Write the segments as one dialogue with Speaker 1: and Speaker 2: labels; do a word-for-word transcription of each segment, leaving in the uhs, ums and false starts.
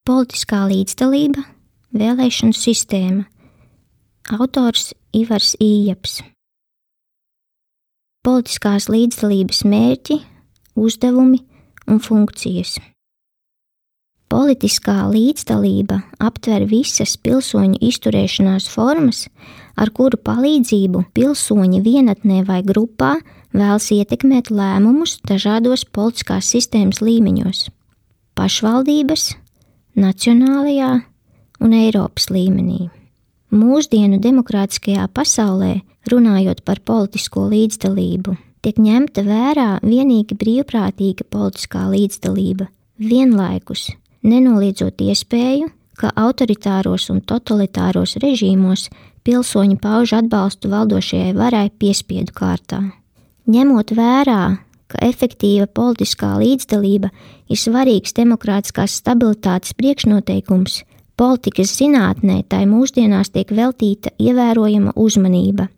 Speaker 1: Politiskā līdzdalība, vēlēšanu sistēma. Autors Ivars Ījaps. Politiskās līdzdalības mērķi, uzdevumi un funkcijas. Politiskā līdzdalība aptver visas pilsoņu izturēšanās formas, ar kuru palīdzību pilsoņi vienatnē vai grupā vēlas ietekmēt lēmumus dažādos politiskās sistēmas līmeņos – pašvaldības, nacionālajā un Eiropas līmenī. Mūsdienu demokrātiskajā pasaulē, runājot par politisko līdzdalību, tiek ņemta vērā vienīgi brīvprātīga politiskā līdzdalība, vienlaikus nenoliedzot iespēju, ka autoritāros un totalitāros režīmos pilsoņi pauž atbalstu valdošajai varai piespiedu kārtā. Ņemot vērā, ka efektīva politiskā līdzdalība ir svarīgs demokrātiskās stabilitātes priekšnoteikums, politikas zinātnē tai mūsdienās tiek veltīta ievērojama uzmanība.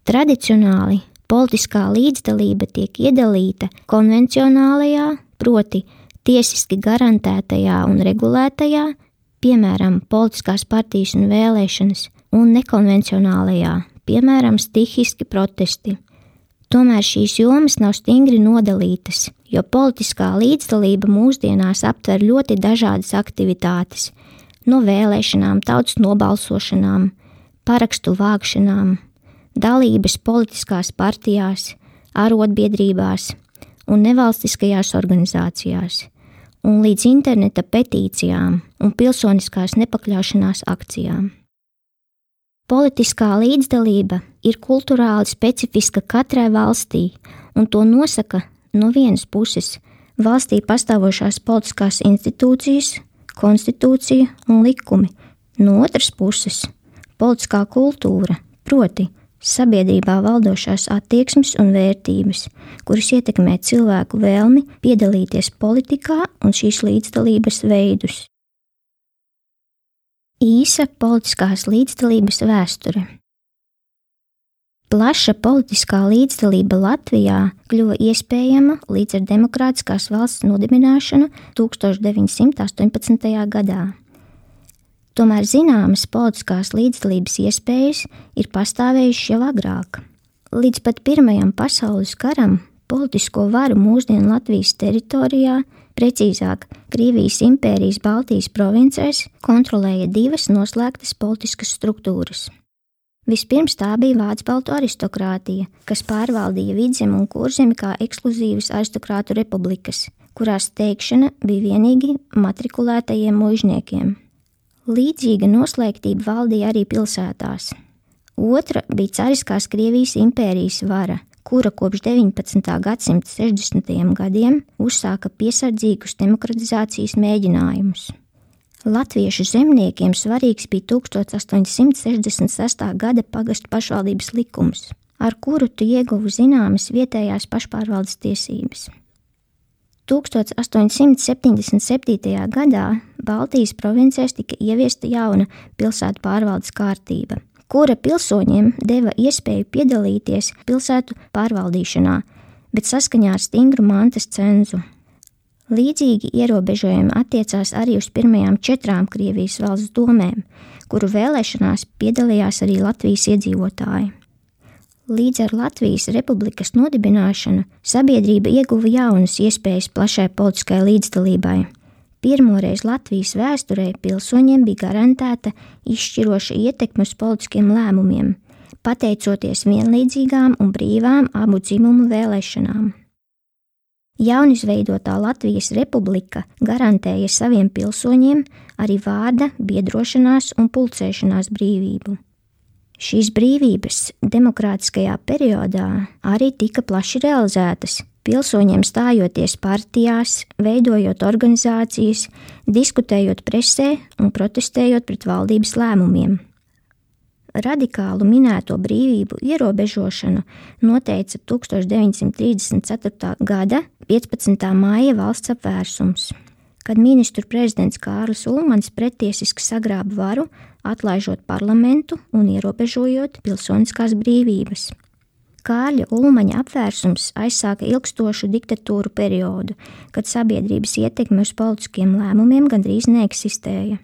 Speaker 1: Tradicionāli politiskā līdzdalība tiek iedalīta konvencionālajā, proti tiesiski garantētajā un regulētajā, piemēram, politiskās partijas un vēlēšanas, un nekonvencionālajā, piemēram, stihiski protesti. Tomēr šīs jomas nav stingri nodalītas, jo politiskā līdzdalība mūsdienās aptver ļoti dažādas aktivitātes, no vēlēšanām, tautas nobalsošanām, parakstu vākšanām, dalības politiskās partijās, arotbiedrībās un nevalstiskajās organizācijās, un līdz interneta petīcijām un pilsoniskās nepakļaušanās akcijām. Politiskā līdzdalība ir kulturāli specifiska katrai valstī, un to nosaka no vienas puses valstī pastāvošās politiskās institūcijas, konstitūcija un likumi, no otras puses politiskā kultūra, proti sabiedrībā valdošās attieksmes un vērtības, kuras ietekmē cilvēku vēlmi piedalīties politikā un šīs līdzdalības veidus. Īsa politiskās līdzdalības vēsture. Plaša politiskā līdzdalība Latvijā kļuva iespējama līdz ar demokrātiskās valsts nodibināšanu tūkstoš deviņsimt astoņpadsmitajā gadā. Tomēr zināmas politiskās līdzdalības iespējas ir pastāvējušas jau agrāk. Līdz pat Pirmajam pasaules karam politisko varu mūsdienu Latvijas teritorijā, precīzāk Krievijas impērijas Baltijas provincēs, kontrolēja divas noslēgtas politiskas struktūras. Vispirms tā bija vācu-baltu aristokrātija, kas pārvaldīja Vidzemi un Kurzemi kā ekskluzīvas aristokrātu republikas, kurās teikšana bija vienīgi matrikulētajiem muižniekiem. Līdzīga noslēgtība valdīja arī pilsētās. Otra bija cariskās Krievijas impērijas vara, kura kopš deviņpadsmitā gadsimta sešdesmitajiem gadiem uzsāka piesardzīgus demokratizācijas mēģinājumus. Latviešu zemniekiem svarīgs bija tūkstoš astoņsimt sešdesmit sestā gada pagastu pašvaldības likums, ar kuru tu ieguva zināmas vietējās pašpārvaldes tiesības. tūkstoš astoņsimt septiņdesmit septītajā gadā Baltijas provincēs tika ieviesta jauna pilsētu pārvaldes kārtība, kura pilsoņiem deva iespēju piedalīties pilsētu pārvaldīšanā, bet saskaņā ar stingru mantas cenzu. Līdzīgi ierobežojumi attiecās arī uz pirmajām četrām Krievijas valsts domēm, kuru vēlēšanās piedalījās arī Latvijas iedzīvotāji. Līdz ar Latvijas republikas nodibināšanu sabiedrība ieguva jaunas iespējas plašai politiskai līdzdalībai. Pirmoreiz Latvijas vēsturē pilsoņiem bija garantēta izšķiroša ietekme uz politiskiem lēmumiem, pateicoties vienlīdzīgām un brīvām abu dzimumu vēlēšanām. Jaunizveidotā Latvijas republika garantēja saviem pilsoņiem arī vārda, biedrošanās un pulcēšanās brīvību. Šīs brīvības demokrātiskajā periodā arī tika plaši realizētas, pilsoņiem stājoties partijās, veidojot organizācijas, diskutējot presē un protestējot pret valdības lēmumiem. Radikālu minēto brīvību ierobežošanu noteica tūkstoš deviņsimt trīsdesmit ceturtā gada piecpadsmitā māja valsts apvērsums, kad ministru prezidents Kārlis Ulmanis pretiesiski sagrāba varu, atlaižot parlamentu un ierobežojot pilsoniskās brīvības. Kārļa Ulmaņa apvērsums aizsāka ilgstošu diktatūru periodu, kad sabiedrības ietekme uz politiskiem lēmumiem gandrīz neeksistēja.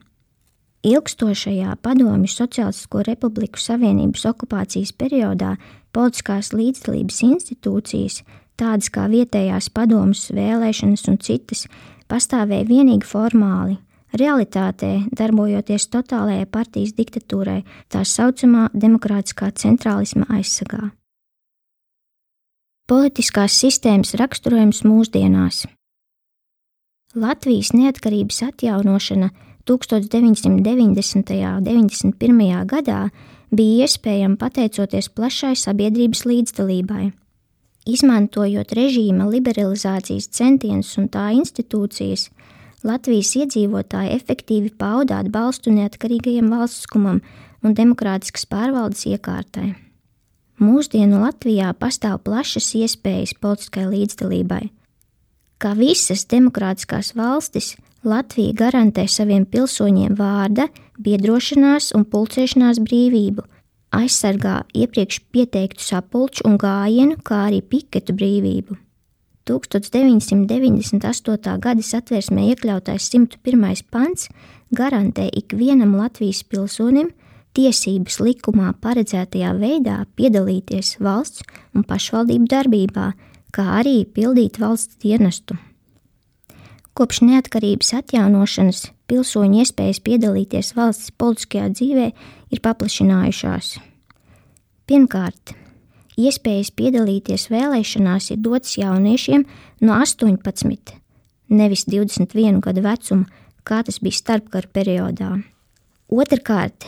Speaker 1: Ilgstošajā Padomju Sociālistisko Republiku Savienības okupācijas periodā politiskās līdzdalības institūcijas, tādas kā vietējās padomes, vēlēšanas un citas, pastāvēja vienīgi formāli, realitātē darbojoties totālajai partijas diktatūrai, tā saucamā demokrātiskā centrālisma aizsargā. Politiskās sistēmas raksturojums mūsdienās. Latvijas neatkarības atjaunošana tūkstoš deviņsimt deviņdesmitajā un deviņdesmit pirmajā gadā bija iespējama pateicoties plašai sabiedrības līdzdalībai. Izmantojot režīma liberalizācijas centienus un tā institūcijas, Latvijas iedzīvotāji efektīvi pauda atbalstu neatkarīgajam valstiskumam un demokrātiskas pārvaldes iekārtai. Mūsdienu Latvijā pastāv plašas iespējas politiskai līdzdalībai. Kā visas demokrātiskās valstis, Latvija garantē saviem pilsoņiem vārda, biedrošanās un pulcēšanās brīvību, aizsargā iepriekš pieteiktu sapulču un gājienu, kā arī piketu brīvību. tūkstoš deviņsimt deviņdesmit astotā gada Satversmē iekļautais simt pirmais pants garantē ikvienam Latvijas pilsonim tiesības likumā paredzētajā veidā piedalīties valsts un pašvaldību darbībā, kā arī pildīt valsts dienestu. Kopš neatkarības atjaunošanas pilsoņu iespējas piedalīties valsts politiskajā dzīvē ir paplašinājušās. Pirmkārt, iespējas piedalīties vēlēšanās ir dotas jauniešiem no astoņpadsmit, nevis divdesmit vienu gadu vecuma, kā tas bija starpkara periodā. Otrkārt,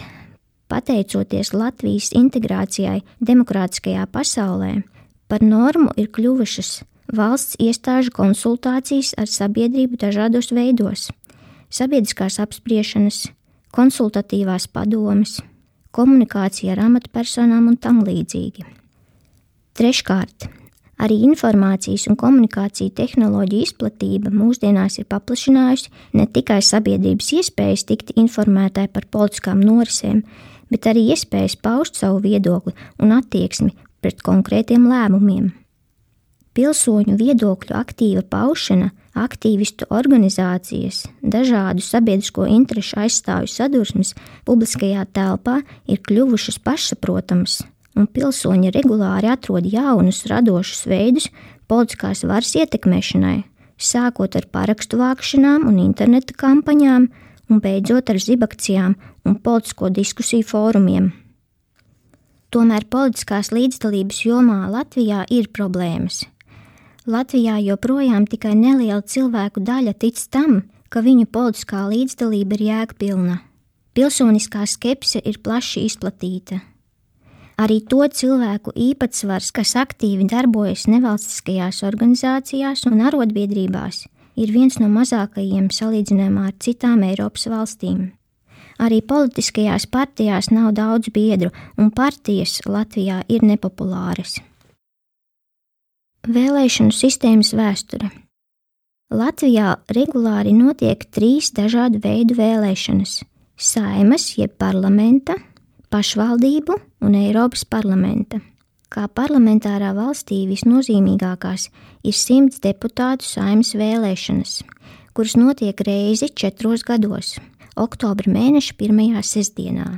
Speaker 1: pateicoties Latvijas integrācijai demokrātiskajā pasaulē, par normu ir kļuvušas valsts iestāžu konsultācijas ar sabiedrību dažādos veidos, sabiedriskās apspriešanas, konsultatīvās padomes, komunikācija ar amatpersonām un tam līdzīgi. Treškārt, arī informācijas un komunikāciju tehnoloģiju izplatība mūsdienās ir paplašinājusi ne tikai sabiedrības iespējas tikt informētai par politiskām norisēm, bet arī iespējas paust savu viedokli un attieksmi pret konkrētiem lēmumiem. Pilsoņu viedokļu aktīva paušana, aktīvistu organizācijas, dažādu sabiedrisko interešu aizstāvju sadursmes publiskajā telpā ir kļuvušas pašsaprotamas, un pilsoņi regulāri atrod jaunus radošus veidus politiskās varas ietekmēšanai, sākot ar parakstu vākšanām un interneta kampaņām, un beidzot ar zibakcijām un politisko diskusiju fórumiem. Tomēr politiskās līdzdalības jomā Latvijā ir problēmas. Latvijā joprojām tikai neliela cilvēku daļa tic tam, ka viņu politiskā līdzdalība ir jēgpilna. Pilsoniskā skepse ir plaši izplatīta. Arī to cilvēku īpatsvars, kas aktīvi darbojas nevalstiskajās organizācijās un arotbiedrībās, ir viens no mazākajiem salīdzinājumā ar citām Eiropas valstīm. Arī politiskajās partijās nav daudz biedru, un partijas Latvijā ir nepopulāras. Vēlēšanu sistēmas vēsture. Latvijā regulāri notiek trīs dažādu veidu vēlēšanas – Saeimas jeb parlamenta, pašvaldību un Eiropas parlamenta. Kā parlamentārā valstī visnozīmīgākās ir simts deputātu Saeimas vēlēšanas, kuras notiek reizi četros gados, oktobra mēneša pirmajā sestdienā.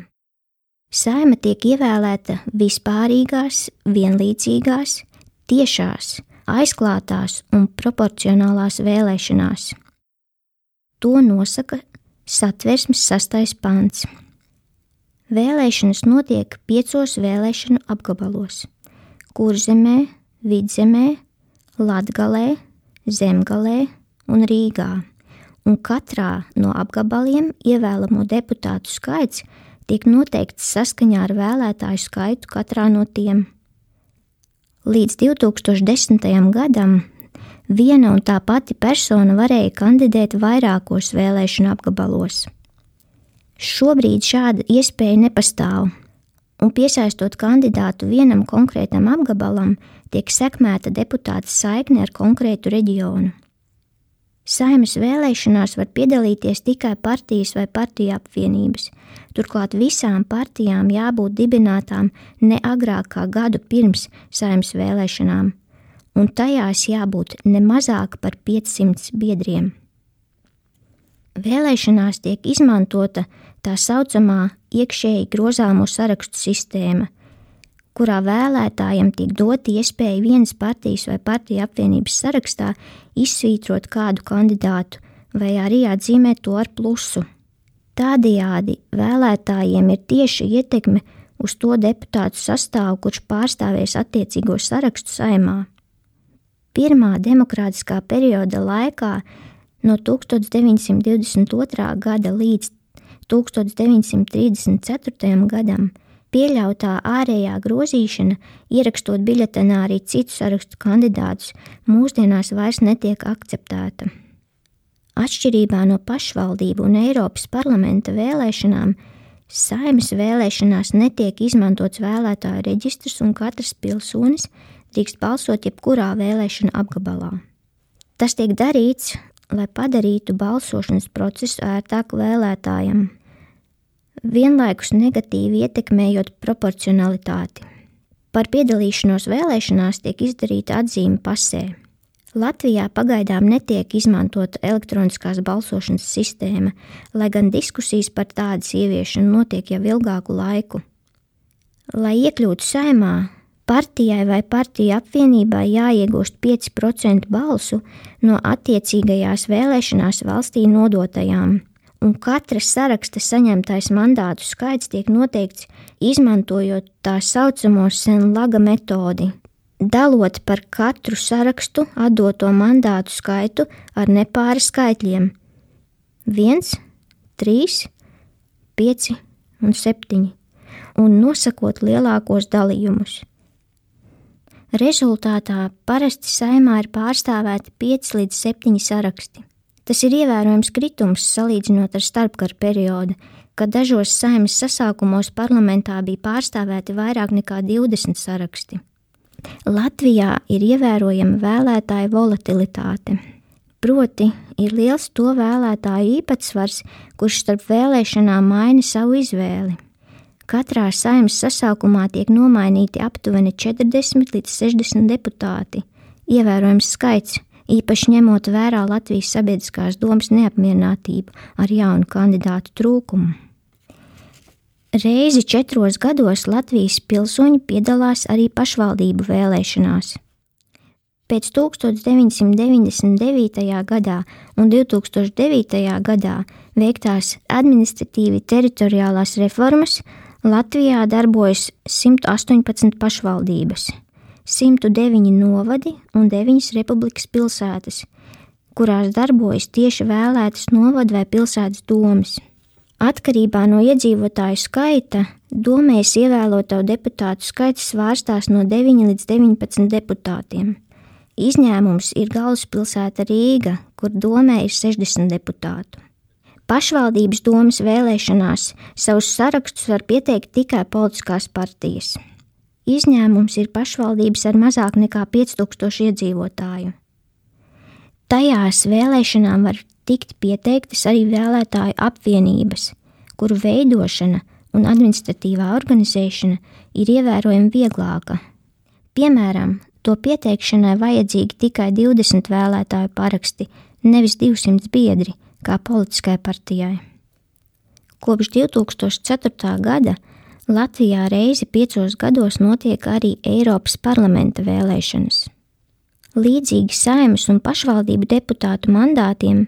Speaker 1: Saeima tiek ievēlēta vispārīgās, vienlīdzīgās, tiešās, aizklātās un proporcionālās vēlēšanās. To nosaka Satversmes sastais pants. Vēlēšanas notiek piecos vēlēšanu apgabalos – Kurzemē, Vidzemē, Latgalē, Zemgalē un Rīgā, un katrā no apgabaliem ievēlamo deputātu skaits tiek noteikts saskaņā ar vēlētāju skaitu katrā no tiem. Līdz divi tūkstoši desmitajam gadam viena un tā pati persona varēja kandidēt vairākos vēlēšanu apgabalos. Šobrīd šāda iespēja nepastāv, un piesaistot kandidātu vienam konkrētam apgabalam, tiek sekmēta deputāta saikne ar konkrētu reģionu. Saeimas vēlēšanās var piedalīties tikai partijas vai partiju apvienības. Turklāt visām partijām jābūt dibinātām ne agrāk kā gadu pirms Saeimas vēlēšanām, un tajās jābūt ne mazāk par piecsimt biedriem. Vēlēšanās tiek izmantota tā saucamā iekšēji grozāmo sarakstu sistēma, kurā vēlētājiem tiek dota iespēja vienas partijas vai partiju apvienības sarakstā izsvītrot kādu kandidātu vai arī atzīmēt to ar plusu. Tādējādi vēlētājiem ir tieši ietekme uz to deputātu sastāvu, kurš pārstāvēs attiecīgo sarakstu Saeimā. Pirmā demokrātiskā perioda laikā no tūkstoš deviņsimt divdesmit otrā gada līdz tūkstoš deviņsimt trīsdesmit ceturtajam gadam pieļautā ārējā grozīšana, ierakstot biļetenā arī citu sarakstu kandidātus, mūsdienās vairs netiek akceptēta. Atšķirībā no pašvaldību un Eiropas parlamenta vēlēšanām, Saeimas vēlēšanās netiek izmantots vēlētāju reģistrs un katrs pilsonis drīkst balsot jebkurā vēlēšana apgabalā. Tas tiek darīts, lai padarītu balsošanas procesu ērtāku vēlētājiem, vienlaikus negatīvi ietekmējot proporcionalitāti. Par piedalīšanos vēlēšanās tiek izdarīta atzīme pasē. Latvijā pagaidām netiek izmantota elektroniskās balsošanas sistēma, lai gan diskusijas par tādas ieviešanu notiek jau ilgāku laiku. Lai iekļūtu Saeimā, partijai vai partiju apvienībai jāiegūst pieci procenti balsu no attiecīgajās vēlēšanās valstī nodotajām, un katra saraksta saņemtais mandātu skaits tiek noteikts izmantojot tā saucamo Senlaga metodi, dalot par katru sarakstu atdoto mandātu skaitu ar nepāra skaitļiem viens, trīs, pieci un septiņi, un nosakot lielākos dalījumus. Rezultātā parasti Saeimā ir pārstāvēti pieci līdz septiņi saraksti. Tas ir ievērojams kritums salīdzinot ar starpkara periodu, kad dažos Saeimas sasaukumos parlamentā bija pārstāvēti vairāk nekā divdesmit saraksti. Latvijā ir ievērojama vēlētāju volatilitāte, proti ir liels to vēlētāju īpatsvars, kurš starp vēlēšanām maina savu izvēli. Katrā Saeimas sasaukumā tiek nomainīti aptuveni četrdesmit līdz sešdesmit deputāti, ievērojams skaits, īpaši ņemot vērā Latvijas sabiedriskās domas neapmierinātību ar jaunu kandidātu trūkumu. Reizi četros gados Latvijas pilsoņi piedalās arī pašvaldību vēlēšanās. Pēc tūkstoš deviņsimt deviņdesmit devītajā gadā un divtūkstoš devītajā gadā veiktās administratīvi teritoriālās reformas Latvijā darbojas simt astoņpadsmit pašvaldības, simt deviņi novadi un deviņas republikas pilsētas, kurās darbojas tieši vēlētas novadu vai pilsētas domes. Atkarībā no iedzīvotāju skaita, domēs ievēloto deputātu skaits svārstās no deviņi līdz deviņpadsmit deputātiem. Izņēmums ir galvaspilsēta Rīga, kur domē ir sešdesmit deputātu. Pašvaldības domes vēlēšanās savus sarakstus var pieteikt tikai politiskās partijas. Izņēmums ir pašvaldības ar mazāk nekā pieci tūkstoši iedzīvotāju. Tajās vēlēšanām var tikt pieteiktas arī vēlētāju apvienības, kuru veidošana un administratīvā organizēšana ir ievērojami vieglāka. Piemēram, to pieteikšanai vajadzīgi tikai divdesmit vēlētāju paraksti, nevis divsimt biedri, kā politiskai partijai. Kopš divtūkstoš ceturtā gada Latvijā reizi piecos gados notiek arī Eiropas parlamenta vēlēšanas. Līdzīgi Saeimas un pašvaldību deputātu mandātiem,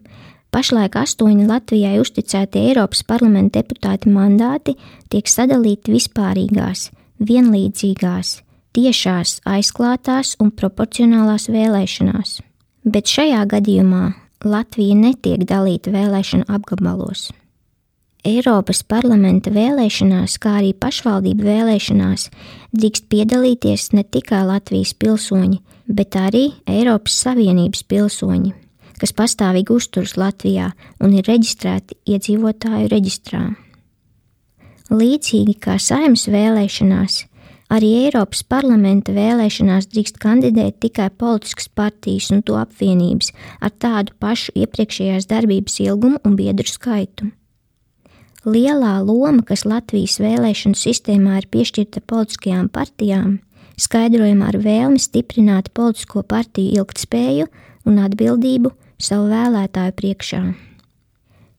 Speaker 1: pašlaik astoņi Latvijai uzticēti Eiropas parlamenta deputāti mandāti tiek sadalīti vispārīgās, vienlīdzīgās, tiešās, aizklātās un proporcionālās vēlēšanās. Bet šajā gadījumā Latvija netiek dalīta vēlēšanu apgabalos. Eiropas parlamenta vēlēšanās, kā arī pašvaldību vēlēšanās, drīkst piedalīties ne tikai Latvijas pilsoņi, bet arī Eiropas Savienības pilsoņi, kas pastāvīgi uzturas Latvijā un ir reģistrēti iedzīvotāju reģistrā. Līdzīgi kā Saeimas vēlēšanās, Arī Eiropas parlamenta vēlēšanās drīkst kandidēt tikai politiskas partijas un to apvienības ar tādu pašu iepriekšējās darbības ilgumu un biedru skaitu. Lielā loma, kas Latvijas vēlēšanu sistēmā ir piešķirta politiskajām partijām, skaidrojama ar vēlmi stiprināt politisko partiju ilgtspēju un atbildību savu vēlētāju priekšā.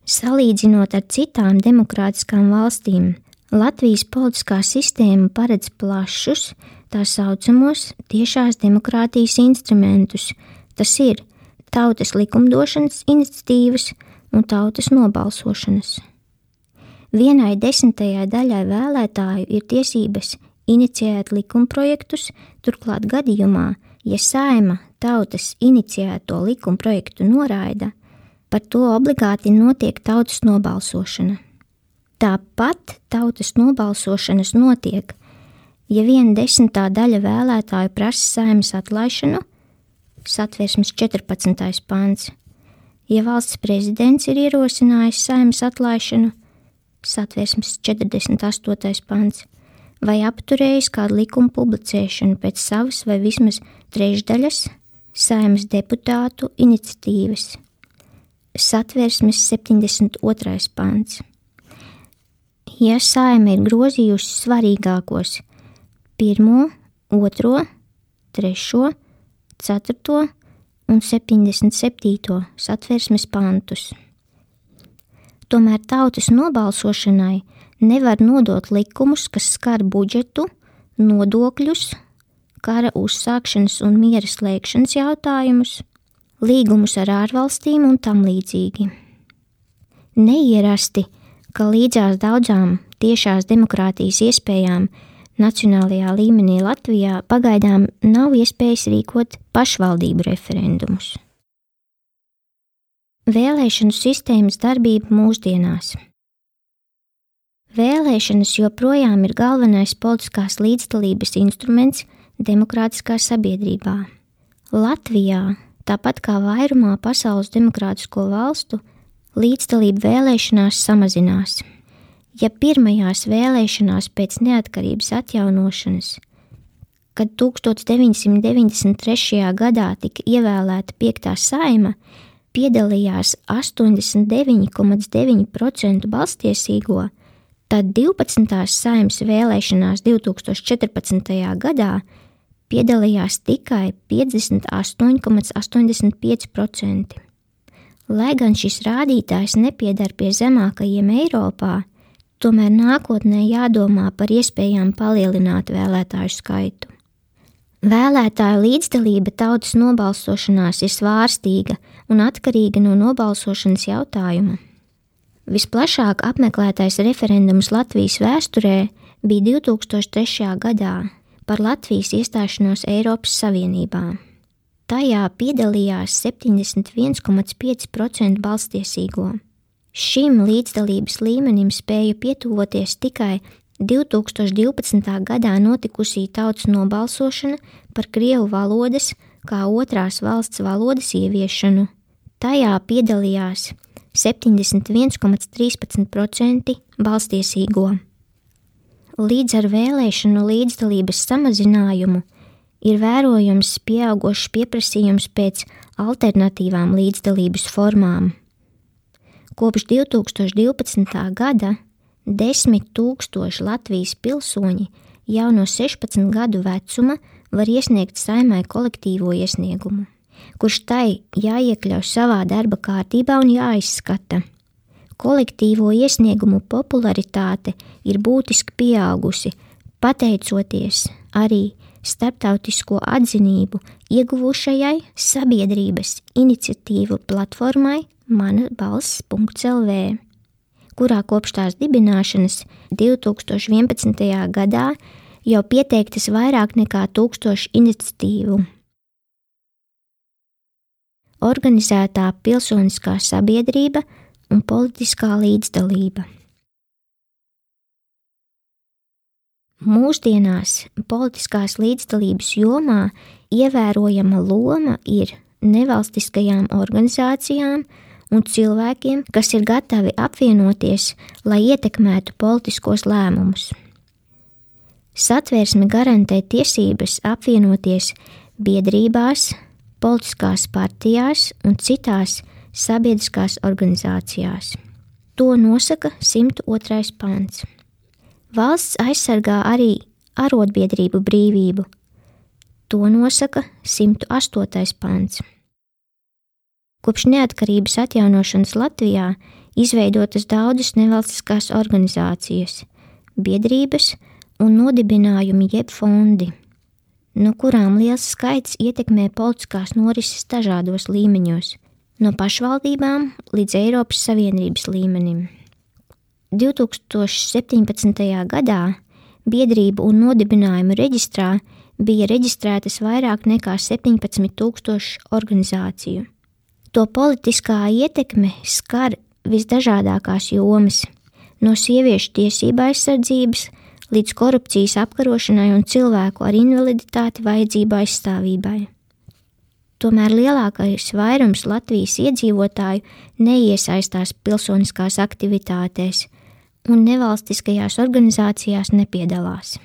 Speaker 1: Salīdzinot ar citām demokrātiskām valstīm, Latvijas politiskā sistēma paredz plašus, tā saucamos tiešās demokrātijas instrumentus, tas ir tautas likumdošanas iniciatīvas un tautas nobalsošanas. Vienai desmitajai daļai vēlētāju ir tiesības inicijēt likumprojektus, turklāt gadījumā, ja Saeima tautas inicijēto likumprojektu noraida, par to obligāti notiek tautas nobalsošana. Tāpat tautas nobalsošanas notiek, ja viena desmitā daļa vēlētāju prasa Saeimas atlaišanu, Satversmes četrpadsmitais pants, ja valsts prezidents ir ierosinājis Saeimas atlaišanu, Satversmes četrdesmit astotais pants, vai apturējis kādu likumu publicēšanu pēc savas vai vismaz trešdaļas Saeimas deputātu iniciatīvas, Satversmes septiņdesmit otrais pants. Ja Saeima ir grozījusi svarīgākos pirmo, otro, trešo, ceturto un septiņdesmit septīto Satversmes pantus. Tomēr tautas nobalsošanai nevar nodot likumus, kas skar budžetu, nodokļus, kara uzsākšanas un miera slēgšanas jautājumus, līgumus ar ārvalstīm un tam līdzīgi. Neierasti, ka līdzās daudzām tiešās demokrātijas iespējām nacionālajā līmenī Latvijā pagaidām nav iespējas rīkot pašvaldību referendumus. Vēlēšanu sistēmas darbība mūsdienās. Vēlēšanas joprojām ir galvenais politiskās līdzdalības instruments demokrātiskā sabiedrībā. Latvijā, tāpat kā vairumā pasaules demokrātisko valstu, līdzdalība vēlēšanās samazinās. Ja pirmajās vēlēšanās pēc neatkarības atjaunošanas, kad tukstovs deviņsimt deviņdesmit trešajā gadā tika ievēlēta piektā Saeima, piedalījās astoņdesmit deviņi komats deviņi procenti balstiesīgo, tad divpadsmitās Saeimas vēlēšanās divtūkstoš četrpadsmitajā gadā piedalījās tikai piecdesmit astoņi komats astoņdesmit pieci procenti. Lai gan šis rādītājs nepiedar pie zemākajiem Eiropā, tomēr nākotnē jādomā par iespējām palielināt vēlētāju skaitu. Vēlētāju līdzdalība tautas nobalsošanās ir svārstīga un atkarīga no nobalsošanas jautājuma. Visplašāk apmeklētais referendums Latvijas vēsturē bija divtūkstoš trešajā gadā par Latvijas iestāšanos Eiropas Savienībā. Tajā piedalījās septiņdesmit viens komats pieci procenti balstiesīgo. Šim līdzdalības līmenim spēja pietuvoties tikai divtūkstoš divpadsmitā gadā notikusī tautas nobalsošana par krievu valodas kā otrās valsts valodas ieviešanu. Tajā piedalījās septiņdesmit viens komats trīspadsmit procenti balstiesīgo. Līdz ar vēlēšanu līdzdalības samazinājumu ir vērojams pieaugošs pieprasījums pēc alternatīvām līdzdalības formām. Kopš divtūkstoš divpadsmitā gada desmit tūkstoši Latvijas pilsoņi jau no sešpadsmit gadu vecuma var iesniegt Saeimai kolektīvo iesniegumu, kurš tai jāiekļauj savā darba kārtībā un jāizskata. Kolektīvo iesniegumu popularitāte ir būtiski pieaugusi, pateicoties arī starptautisko atzinību ieguvušajai sabiedrības iniciatīvu platformai mana balss punkts el vē, kurā kopš tās dibināšanas divtūkstoš vienpadsmitajā gadā jau pieteiktas vairāk nekā tūkstoši iniciatīvu. Organizētā pilsoniskā sabiedrība un politiskā līdzdalība. Mūsdienās politiskās līdzdalības jomā ievērojama loma ir nevalstiskajām organizācijām un cilvēkiem, kas ir gatavi apvienoties, lai ietekmētu politiskos lēmumus. Satversme garantē tiesības apvienoties biedrībās, politiskās partijās un citās sabiedriskās organizācijās. To nosaka simt otrais pants. Valsts aizsargā arī arotbiedrību brīvību. To nosaka simt astotais pants. Kopš neatkarības atjaunošanas Latvijā izveidotas daudzas nevalstiskās organizācijas, biedrības un nodibinājumi jeb fondi, no kurām liels skaits ietekmē politiskās norises dažādos līmeņos, no pašvaldībām līdz Eiropas Savienības līmenim. divi tūkstoši septiņpadsmitajā gadā biedrību un nodibinājumu reģistrā bija reģistrētas vairāk nekā septiņpadsmit tūkstoši organizāciju. To politiskā ietekme skar visdažādākās jomas, no sieviešu tiesību aizsardzības līdz korupcijas apkarošanai un cilvēku ar invaliditāti vajadzību aizstāvībai. Tomēr lielākais vairums Latvijas iedzīvotāju neiesaistās pilsoniskās aktivitātēs un nevalstiskajās organizācijās nepiedalās.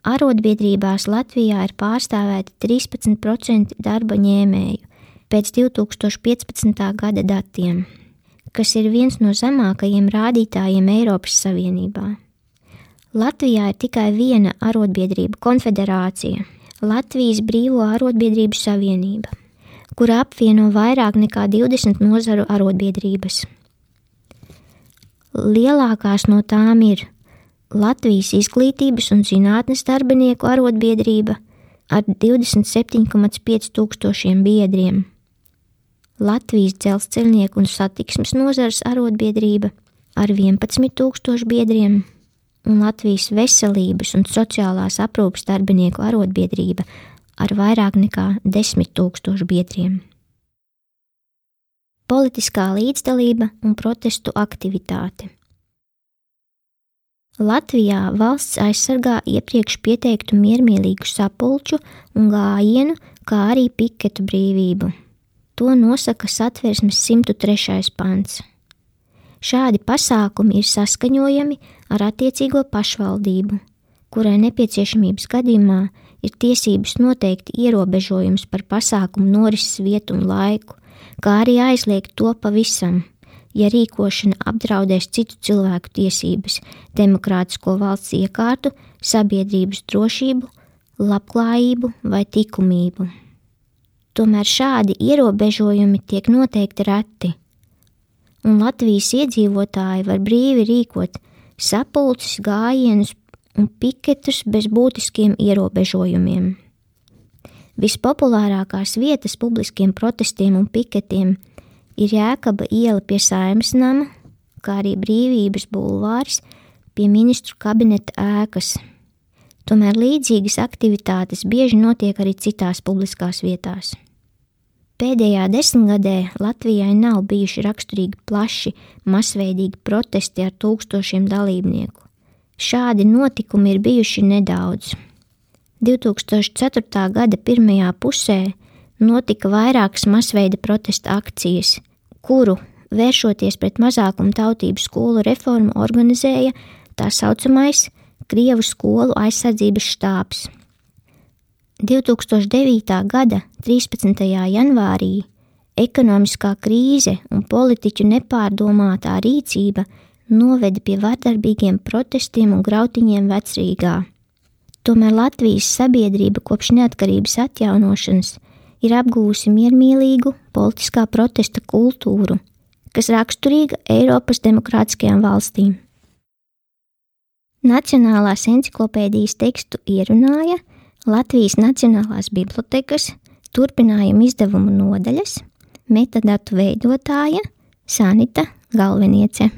Speaker 1: Arotbiedrībās Latvijā ir pārstāvēti trīspadsmit procenti darba ņēmēju pēc divi tūkstoši piecpadsmitā gada datiem, kas ir viens no zemākajiem rādītājiem Eiropas Savienībā. Latvijā ir tikai viena arotbiedrību konfederācija – Latvijas Brīvo arotbiedrību savienība, kura apvieno vairāk nekā divdesmit nozaru arotbiedrības. Lielākās no tām ir Latvijas Izglītības un zinātnes darbinieku arotbiedrība ar divdesmit septiņi komats pieci tūkstošiem biedriem, Latvijas dzelzceļnieku un satiksmes nozares arotbiedrība ar vienpadsmit tūkstošu biedriem un Latvijas veselības un sociālās aprūpes darbinieku arotbiedrība ar vairāk nekā desmit tūkstošu biedriem. Politiskā līdzdalība un protestu aktivitāte. Latvijā valsts aizsargā iepriekš pieteiktu miermīlīgu sapulču un gājienu, kā arī piketu brīvību. To nosaka Satversmes simt trešais pants. Šādi pasākumi ir saskaņojami ar attiecīgo pašvaldību, kurai nepieciešamības gadījumā ir tiesības noteikt ierobežojums par pasākumu norises vietu un laiku, kā arī aizliegt to pavisam, ja rīkošana apdraudēs citu cilvēku tiesības, demokrātisko valsts iekārtu, sabiedrības drošību, labklājību vai likumību. Tomēr šādi ierobežojumi tiek noteikti reti, un Latvijas iedzīvotāji var brīvi rīkot sapulces, gājienus un piketus bez būtiskiem ierobežojumiem. Vispopulārākās vietas publiskiem protestiem un piketiem ir Jēkaba iela pie Saeimas nama, kā arī Brīvības bulvārs pie ministru kabineta ēkas. Tomēr līdzīgas aktivitātes bieži notiek arī citās publiskās vietās. Pēdējā desmitgadē Latvijai nav bijuši raksturīgi plaši, masveidīgi protesti ar tūkstošiem dalībnieku. Šādi notikumi ir bijuši nedaudz. divi tūkstoši ceturtā gada pirmajā pusē notika vairākas masveida protesta akcijas, kuru, vēršoties pret mazākumu tautību skolu reformu, organizēja tā saucamais Krievu skolu aizsardzības štābs. divi tūkstoši devītā gada trīspadsmitajā janvārī ekonomiskā krīze un politiķu nepārdomātā rīcība noveda pie vardarbīgiem protestiem un grautiņiem Vecrīgā. Tomēr Latvijas sabiedrība kopš neatkarības atjaunošanas ir apgūsi miermīlīgu politiskā protesta kultūru, kas raksturīga Eiropas demokrātiskajām valstīm. Nacionālās enciklopēdijas tekstu ierunāja Latvijas Nacionālās bibliotekas turpinājuma izdevumu nodaļas metadatu veidotāja Sanita Galveniece.